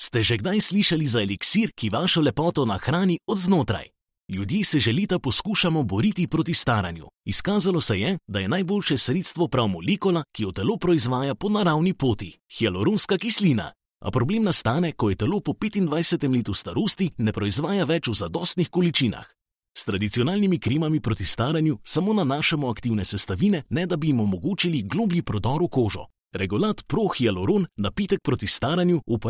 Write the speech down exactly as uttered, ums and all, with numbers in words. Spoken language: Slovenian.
Ste že kdaj slišali za eliksir, ki vašo lepoto nahrani od znotraj? Ljudje se že leta poskušamo boriti proti staranju. Izkazalo se je, da je najboljše sredstvo prav molekula, ki jo telo proizvaja po naravni poti – hialuronska kislina. A problem nastane, ko je telo po petindvajsetem letu starosti ne proizvaja več v zadostnih količinah. S tradicionalnimi kremami proti staranju samo nanašamo aktivne sestavine, ne da bi jim omogočili globlji prodor v kožo. Regolat Pro Hyaluron, napitek proti staranju, uporablja